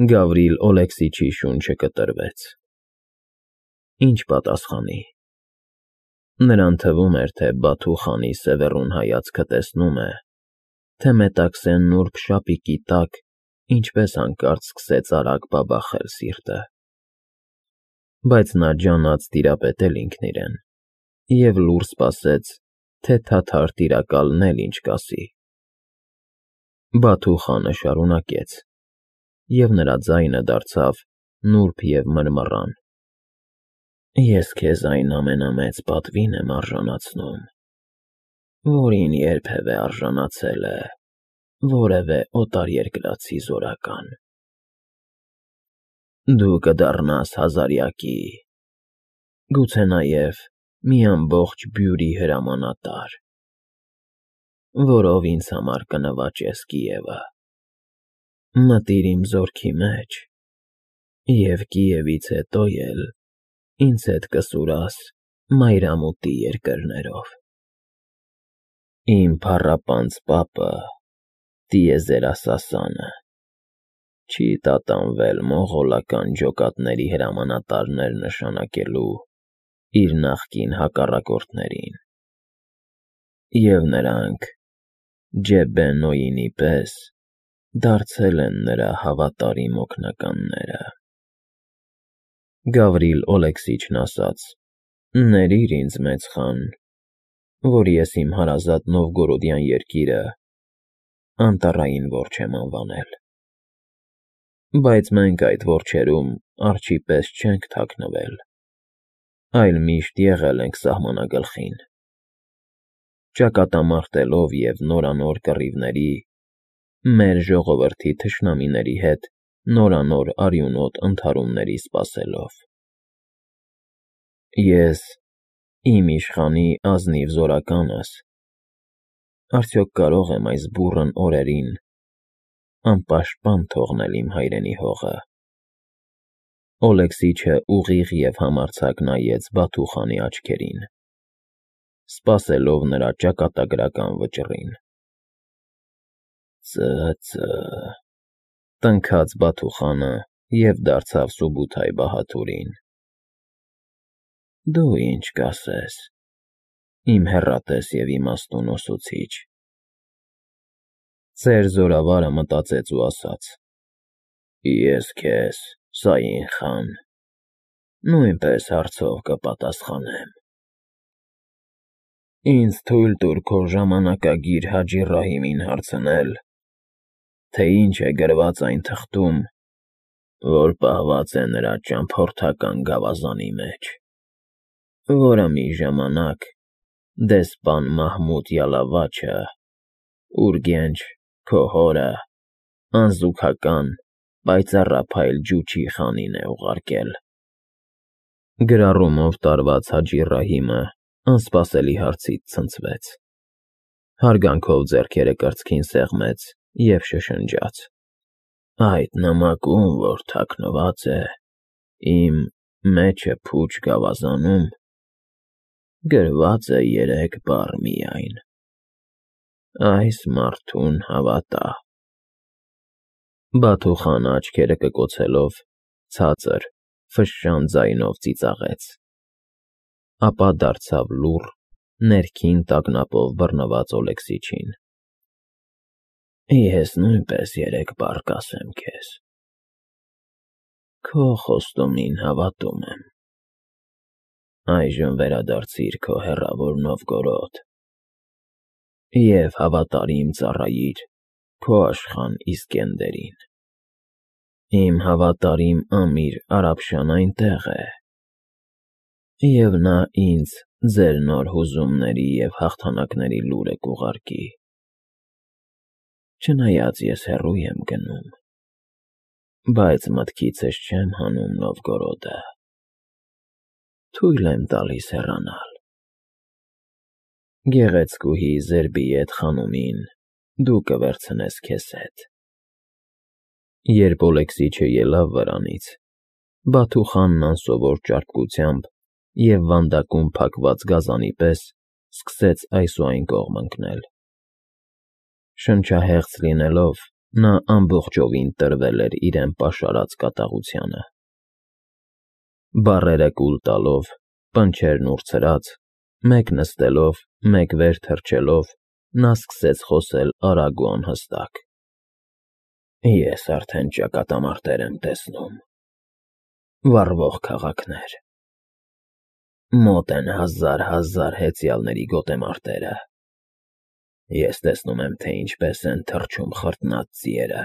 Գավրիլ Օլեքսիչի շունչը կտրվեց։ Ինչ պատասխանի։ Նրան թվում էր, թե Բաթու խանի սևեռուն հայացքը տեսնում է, թե մետաքսեն նուրբ շապիկի տակ ինչպես հանկարծ սկսեց արագ բաբախել սիրտը։ Բայց նա ջանաց տիրապետել ինքն իրեն և լուռ սպասեց, թե թաթար տիրակալն էլ ինչ կասի։ Բաթու խանը շարունակեց, և նրա ձայնը դարձավ նուրբ և մռմռան. Ես քեզ այն ամենամեծ պատվին եմ արժանացնում, որին երբևէ արժանացել է որևէ օտարերկրացի զորական։ Դու կդառնաս հազարյակի, գուցե նաև մի ամբողջ բյուրի հրամանատար, որով ինձ համար կնվաճես Կիևը։ Մտիր իմ զորքի մեջ և Կիևից հետո էլ ինձ հետ կսուրաս մայրամուտի երկրներով։ Իմ փառապանծ պապը՝ տիեզերասասանը, չի տատանվել մոնղոլական ջոկատների հրամանատարներ նշանակելու իր նախկին հակառակորդներին, և նրանք Ջեբեն֊Նոյինի պես դարձել են նրա հավատարիմ օգնականները։ Գավրիլ Օլեքսիչն ասաց. Ներիր ինձ, մեծ խան, որ ես իմ հարազատ Նովգորոդյան երկիրը անտառային որջ եմ անվանել։ Բայց մենք այդ որջերում արջի պես չենք թաքնվել, այլ միշտ եղել ենք սահմանագլխին։ Ճակատամարտելով և նորանոր կռիվների, մեր ժողովրդի թշնամիների հետ նորանոր արյունոտ ընդհարումների սպասելով։ Ես, իմ իշխանի ազնիվ զորականս, արդյոք կարող եմ այս բուռն օրերին անպաշտպան թողնել իմ հայրենի հողը։ Օլեքսիչը ուղիղ և համարձակ նայեց Բաթու խանի աչքերին, սպասելով նրա ճակատագրական վճռին։ Ծ… տնքաց Բաթու խանը և դարձավ Սուբութայ բահադուրին։ Դու ինչ կասես, իմ հեռատես և իմաստուն ուսուցիչ։ Ծեր զորավարը մտածեց ու ասաց. Ես քեզ, Սաին խան, նույնպես հարցով կպատասխանեմ։ Ինձ թույլ տուր քո ժամանակագիր Հաջի Ռահիմին հարցնել, թե ինչ է գրված այն թղթում, որ պահված է նրա ճամփորդական գավազանի մեջ, որը մի ժամանակ դեսպան Մահմուդ Յալավաչը Ուրգենչ, քո հորը, անզուգական, պայծառափայլ Ջուչի խանին է ուղարկել։ Գրառումով տարված Հաջի Ռահիմը անսպասելի հարցից ցնցվեց, հարգանքով ձեռքերը կրծքին սեղմեց և շշնջաց. Այդ նամակում, որ թաքնված է իմ մեջը փուչ գավազանում, գրված է 3 բառ միայն. այս մարդուն հավատա։ Բաթու խանը աչքերը կկոցելով ցածր, ֆշշան ձայնով ծիծաղեց, ապա դարձավ լուռ, ներքին տագնապով բռնված Օլեքսիչին։ Ես նույնպես 3 բառ կասեմ քեզ. քո խոստումին հավատում եմ։ Այժմ վերադարձիր քո հեռավոր Նովգորոդ և հավատարիմ ծառայիր քո աշխան Իսկենդերին։ Իմ հավատարիմ ամիր Արաբշան այնտեղ է, և նա ինձ ձեր նոր հուզումների և հաղթանակների լուրը կուղարկի։ Չնայած ես հեռու եմ գնում, բայց մտքիցս չեմ հանում Նովգորոդը, թույլ եմ տալիս հեռանալ։ Գեղեցկուհի Զերբիեդ խանումին դու կվերցնես քեզ հետ։ Երբ Օլեքսիչը ելավ վրանից, Բաթու խանն անսովոր ճարպկությամբ և վանդակում փակված գազանի պես սկսեց այս ու այն կողմ ընկնել։ Շնչահեղձ լինելով, Նա ամբողջովին տրվել էր իրեն պաշարած կատաղությանը։ Բառերը կուլ տալով, պնչերն ուրցրած, մեկ նստելով, մեկ վեր թռչելով, նա սկսեց խոսել արագ ու անհստակ. Ես արդեն ճակատամարտեր եմ տեսնում, վառվող քաղաքներ, մոտ են հազար հեծյալների գոտեմարտերը, ես տեսնում եմ, թե ինչպես են թռչում խրտնած ձիերը,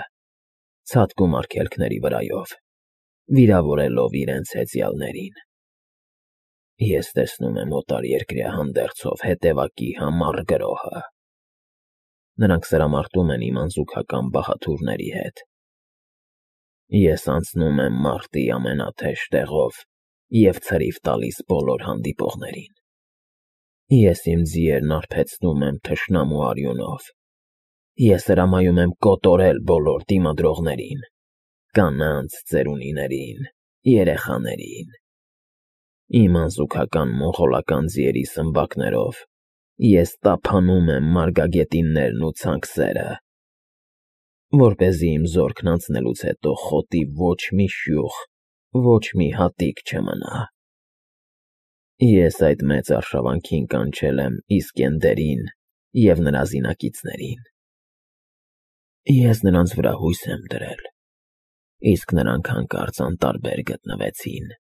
ցատկում արգելքների վրայով, վիրավորելով իրենց հեծյալներին, ես տեսնում եմ օտարերկրյա հանդերձով հետևակի համառ գրոհը, նրանք սրամարտում են իմ անզուգական բահաթուրների հետ, ես անցնում եմ մարտի ամենաթեժ տեղով և ցրիվ տալիս բոլոր հանդիպողներին, ես իմ ձիերն արբեցնում եմ թշնամու արյունով, ես հրամայում եմ կոտորել բոլոր դիմադրողներին, կանանց, ծերունիներին, երեխաներին, իմ անզուգական մոնղոլական ձիերի սմբակներով ես տափանում եմ մարգագետիններն ու ցանքսերը, որպեսզի իմ զորքն անցնելուց հետո խոտի ոչ մի շյուխ, ոչ մի հատիկ չմնա, ես այդ մեծ արշավանքին կանչել եմ Իսկենդերին և նրա զինակիցներին, ես նրանց վրա հույս եմ դրել, իսկ նրանք հանկարծ անտարբեր գտնվեցին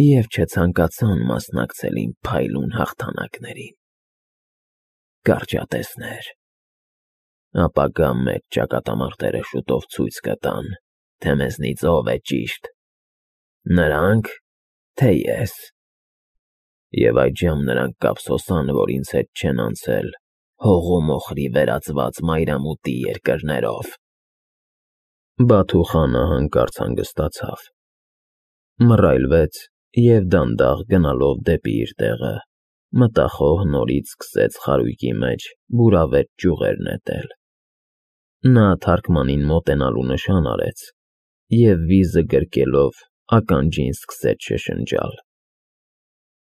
և չցանկացան մասնակցել իմ փայլուն հաղթանակներին, կարճատեսներ, ապագա մեծ ճակատամարտերը շուտով ցույց կտան, թե մեզնից ով է ճիշտ, նրանք, թե ես, և այդժամ նրանք կափսոսան, որ ինձ հետ չեն անցել հող ու մոխրի վերածված մայրամուտի երկրներով… Բաթու խանը հանկարծ հանգստացավ, մռայլվեց և դանդաղ գնալով դեպի իր տեղը, մտախոհ նորից սկսեց խարույկի մեջ բուրավետ ճյուղեր նետել, նա թարքմանին մոտենալու նշան արեց և վիզը գրկելով ականջին սկսեց շշնջալ.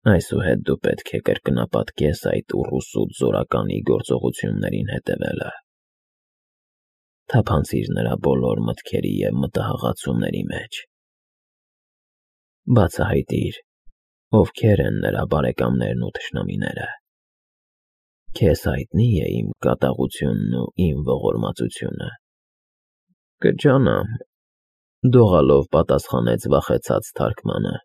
այսուհետ դու պետք է կրկնապատկես այդ ուռուսուտ զորականի գործողություններին հետևելը, թափանցիր նրա բոլոր մտքերի և մտահղացումների մեջ, բացահայտիր, ովքեր են նրա բարեկամներն ու թշնամիները, քեզ հայտնի է իմ կատաղությունն ու իմ ողորմածությունը… Կջանամ, դողալով պատասխանեց վախեցած թարքմանը,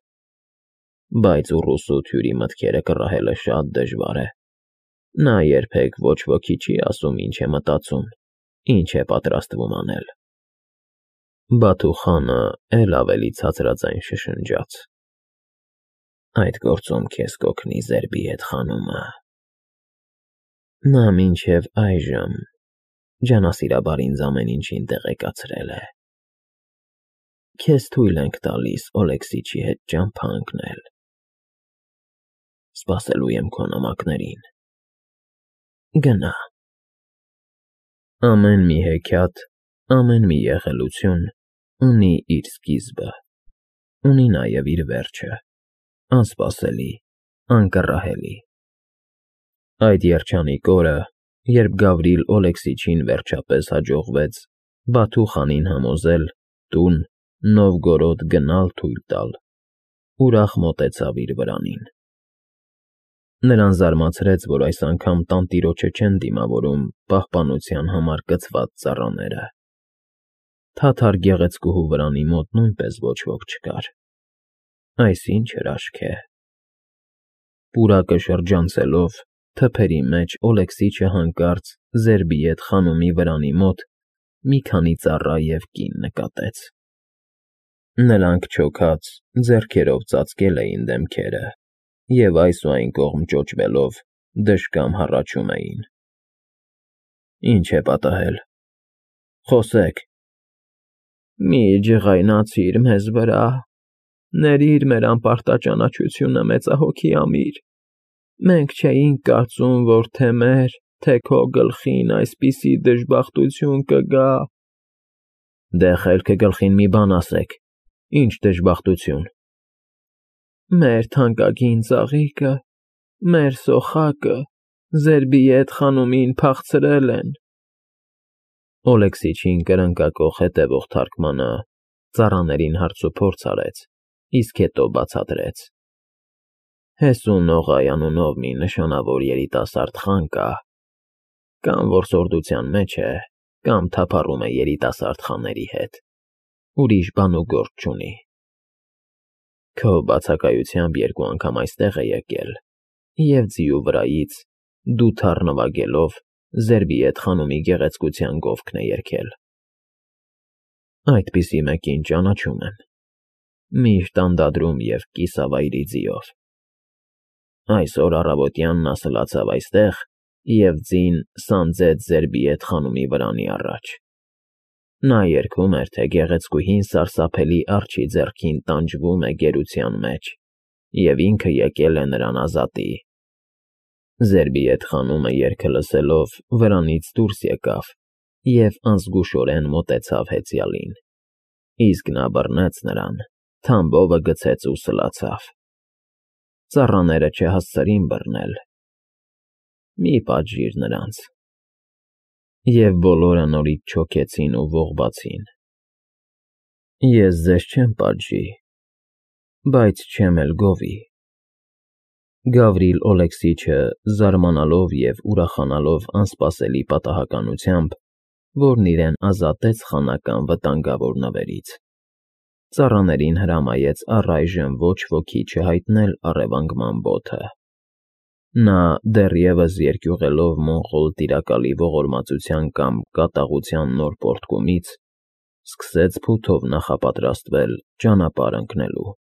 բայց ուռուսուտ հյուրի մտքերը կռահելը շատ դժվար է, նա երբեք ոչ ոքի չի ասում ինչ է մտածում, ինչ է պատրաստվում անել… Բաթու խանը էլ ավելի ցածրաձայն շշնջաց. այդ գործում քեզ կօգնի Զերբի հետ խանումը, նա մինչև այժմ ջանասիրաբար ինձ ամեն ինչին տեղեկացրել է, քեզ թույլ ենք տալիս Օլեքսիչի հետ ճամփա ընկնել, սպասելու եմ քո նամակներին, գնա… Ամեն մի հեքիաթ, ամեն մի եղելություն ունի իր սկիզբը, ունի նաև իր վերջը, անսպասելի, անկռահելի… Այդ երջանիկ օրը, երբ Գավրիլ Օլեքսիչին վերջապես հաջողվեց Բաթու խանին համոզել տուն Նովգորոդ գնալ թույլ տալ, ուրախ մոտեցավ իր վրանին, նրան զարմացրեց, որ այս անգամ տանտիրոջը չեն դիմավորում պահպանության համար կցված ծառաները, թաթար գեղեցկուհու վրանի մոտ նույնպես ոչ ոք չկար, այս ինչ հրաշք է… Պուրակը շրջանցելով, թփերի մեջ Օլեքսիչը հանկարծ Զերբիեդ խանումի վրանի մոտ մի քանի ծառա և կին նկատեց, նրանք չոքած ձեռքերով ծածկել էին դեմքերը և այս ու այն կողմ ճոճվելով դժկամ հառաչում էին. Ինչ է պատահել, խոսեք… Մի ջղայնացիր մեզ վրա, ներիր մեր անպարտաճանաչությունը մեծահոգի ամիր, մենք չէինք կարծում, որ թե մեր, թե քո գլխին այսպիսի դժբախտություն կգա… Դե խելքը գլխին մի բան ասեք, ինչ դժբախտություն… Մեր թանկագին ծաղիկը, մեր սոխակը Զերբիեդ խանումին փախցրել են… Օլեքսիչին կրնկակոխ հետևող թարգմանը ծառաներին հարցուփորձ արեց, իսկ հետո բացատրեց. Հեսուն Նողայ անունով մի նշանավոր երիտասարդ խան կա, կամ որսորդության մեջ է, կամ թափառում է երիտասարդ խաների հետ, ուրիշ բան ու գործ չունի։ Քո բացակայությամբ երկու անգամ այստեղ է եկել, և ձիու վրայից, դու թառ նվագելով, Զերբիեթ խանումի գեղեցկության գովքն է երգել։ Այդպիսի մեկին ճանաչում եմ, միշտ անդադրում և կիսավայրի ձիով։ Այսօր առավոտյան նա սլացավ այստեղ և ձին սանձեց Զերբիեթ խանումի վրանի առաջ։ Նա երգում էր, թե գեղեցկուհին սարսափելի արջի ձեռքին տանջվում է գերության մեջ, և ինքը եկել է նրան ազատի։ Զերբիեթ խանումը երգը լսելով վրանից դուրս եկավ և անզգուշորեն մոտեցավ հեծյալին, իսկ նա բռնեց նրան, թամբովը գցեց ու սլացավ։ Ծառաները չհասցրին բռնել։ Մի պատժիր նրանց։ Եվ բոլորը նորից չոքեցին ու ողբացին։ Ես ձեզ չեմ պատժի, բայց չեմ էլ գովի։ Գավրիլ Օլեքսիչը, զարմանալով և ուրախանալով անսպասելի պատահականությամբ, որն իրեն ազատեց խանական վտանգավոր նվերից, ծառաներին հրամայեց առայժմ ոչ ոքի չհայտնել առևանգման բոթը։ Նա, դեռևս երկյուղելով մոնղոլ տիրակալի ողորմածության կամ կատաղության նոր պոռթկումից, սկսեց փութով նախապատրաստվել ճանապարհ ընկնելու։